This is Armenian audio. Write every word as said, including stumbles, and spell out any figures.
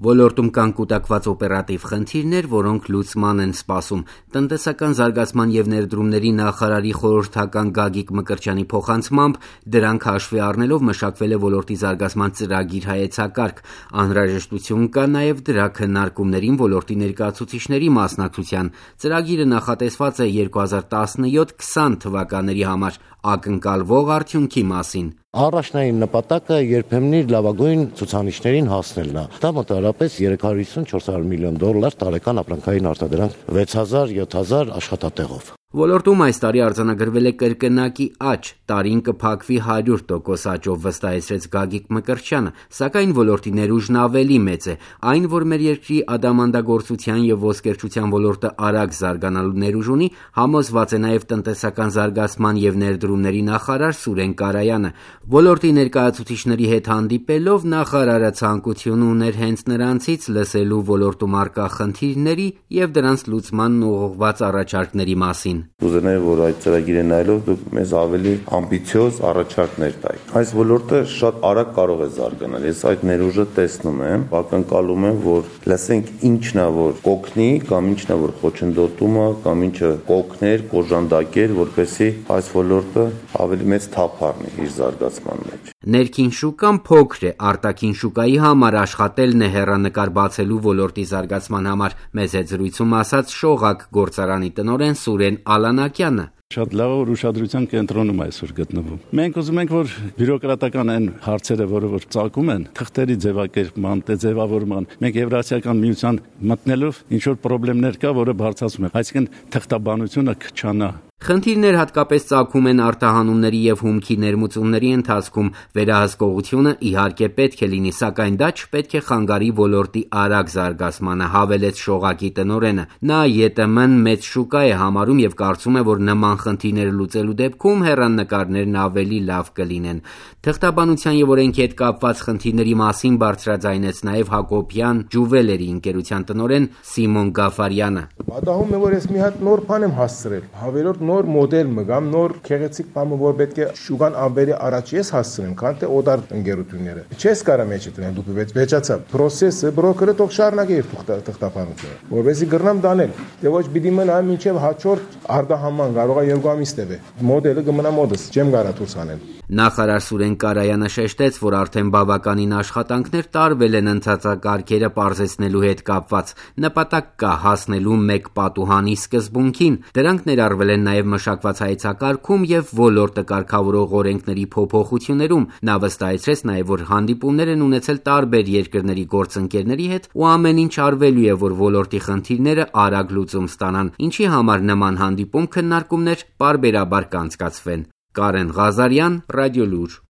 Ոլորտում կան կուտակված օպերատիվ խնդիրներ, որոնք լուծման են սպասում։ Տնտեսական զարգացման և ներդրումների նախարարի խորհրդական Գագիկ Մկրտչյանի փոխանցմամբ, դրանք հաշվի առնելով մշակվել է ոլորտի զարգացման ծրագիր հայեցակարգ։ Անհրաժեշտություն կա նաև դրա քննարկումներին ոլորտի ներկայացուցիչների մասնակցության։ Ծրագիրը նախատեսված է երկու հազար տասնյոթ քսան թվականների համար, ակնկալվող արդյունքի մասին։ Առաջնային նպատակը երբեմն լավագույն ցուցանիշներին հասնելն է։ Դա մոտավորապես երեք հարյուր հիսուն չորս հարյուր միլիոն դոլար տարեկան ապրանքային արտադրանք վեց հազար յոթ հազար աշխատատեղով։ Ոլորտում այս տարի արձանագրվել է կրկնակի աճ, տարին կփակվի հարյուր տոկոս աճով, վստահեցրեց Գագիկ Մկրտչյանը, սակայն ոլորտի ներուժն ավելի մեծ է։ Այն, որ մեր երկրի ադամանդագործության և ոսկերչության ոլորտը արագ զարգանալու ներուժ ունի, համոզված է նաև տնտեսական զարգացման և ներդրումների նախարար Սուրեն Կարայանը։ Ոլորտի ներկայացուցիչների հետ հանդիպելով նախարարը ցանկություն ուներ հենց նրանցից լսելու ոլորտում առկա խնդիրների և դրանց լուծման ուղղված առաջարկների մասին։ Կուզենայի, որ այդ ծրագիրը նայելով դուք մեզ ավելի ամբիցիոզ առաջարկներ տայիք։ Այս ոլորտը շատ արագ կարող է զարգանալ։ Ես այդ ներուժը տեսնում եմ, ակնկալում եմ, որ լսենք ինչն է, որ կօգնի, կամ ինչն է, որ խոչընդոտում է, կամ ինչը կօգներ, կոժանդակեր, որպեսզի այս ոլորտը ավելի մեծ թափ առնի իր զարգացման մեջ։ Ներքին շուկան փոքր է, արտաքին շուկայի համար աշխատելն է հեռանկար բացելու ոլորտի զարգացման համար, մեզ հետ զրույցում ասաց Շողակ գործարանի տնօրեն Սուրեն Ալանակյանը։ Շատ լավ որ ուշադրության կենտրոնում այսօր գտնվում։ Մենք ուզում ենք, որ բյուրոկրատական այն հարցերը, որը որ ծագում են, թղթերի ձևակերպման, ձևավորման, մենք Եվրասիական միության մտնելով ինչ որ խնդիրներ կա, որը բարձրացում է, այսինքն թղթաբանությունը կչանա։ Խնդիրներ հատկապես ծագում են արտահանումների և հումքի ներմուծումների ընթացքում, վերահսկողությունը իհարկե պետք է լինի, սակայն դա չպետք է խանգարի ոլորտի արագ զարգացմանը, հավելեց Շողակի տնօրենը։ Նա ԵՏՄ-ն մեծ շուկա է համարում և կարծում է, որ նման խնդիրները լուծելու դեպքում հեռանկարներն ավելի լավ կլինեն։ Թղթաբանության և օրենքի հետ կապված խնդիրների մասին բարձրաձայնեց նաև Հակոբյան ջուվելերի ընկերության տնօրեն Սիմոն Գաֆարյանը։ Պատահում է, որ ես մի հատ նոր բան եմ հասցրել, հավելորդ նոր մոդել մգամ, նոր քեղեցիկ բան, որ պետք է շուկան ավելի առաջ ես հասցնեմ, քան թե օտար ընկերությունները։ Չես կարա մեջը տնեն դու վեճացա։ Պրոցեսը բրոկերը թող շարունակի իր թղթաբանությունը, որովհետեւ գրնամ դանել։ Դե ոչ պիտի մնա մինչև հաջորդ արտահանման կարող է երկու ամիս տևի։ Մոդելը կմնա մոդս, չեմ կարա դուրս անել։ Նախարար Սուրեն Կարայանը շեշտեց, որ արդեն բավականին աշխատանքներ տարվել են ընթացակարգերը պարզեցնելու հետ կապված։ Նպատակ կա հասնելու մեկ պատուհանի սկզբունքին։ Դրանք ներառվել են նաև մշակված հայեցակարգում և ոլորտը կարգավորող օրենքների փոփոխություններում։ Նա վստահեցրեց նաև, որ հանդիպումներ են ունեցել տարբեր երկրների գործընկերների հետ ու ամեն ինչ արվելու է, որ ոլորտի խնդիրները արագ լուծում ստանան, ինչի համար նման հանդիպում քննարկումներ պարբերաբար կանցկացվեն։ Կարեն Ղազարյան, Ռադիոլուր։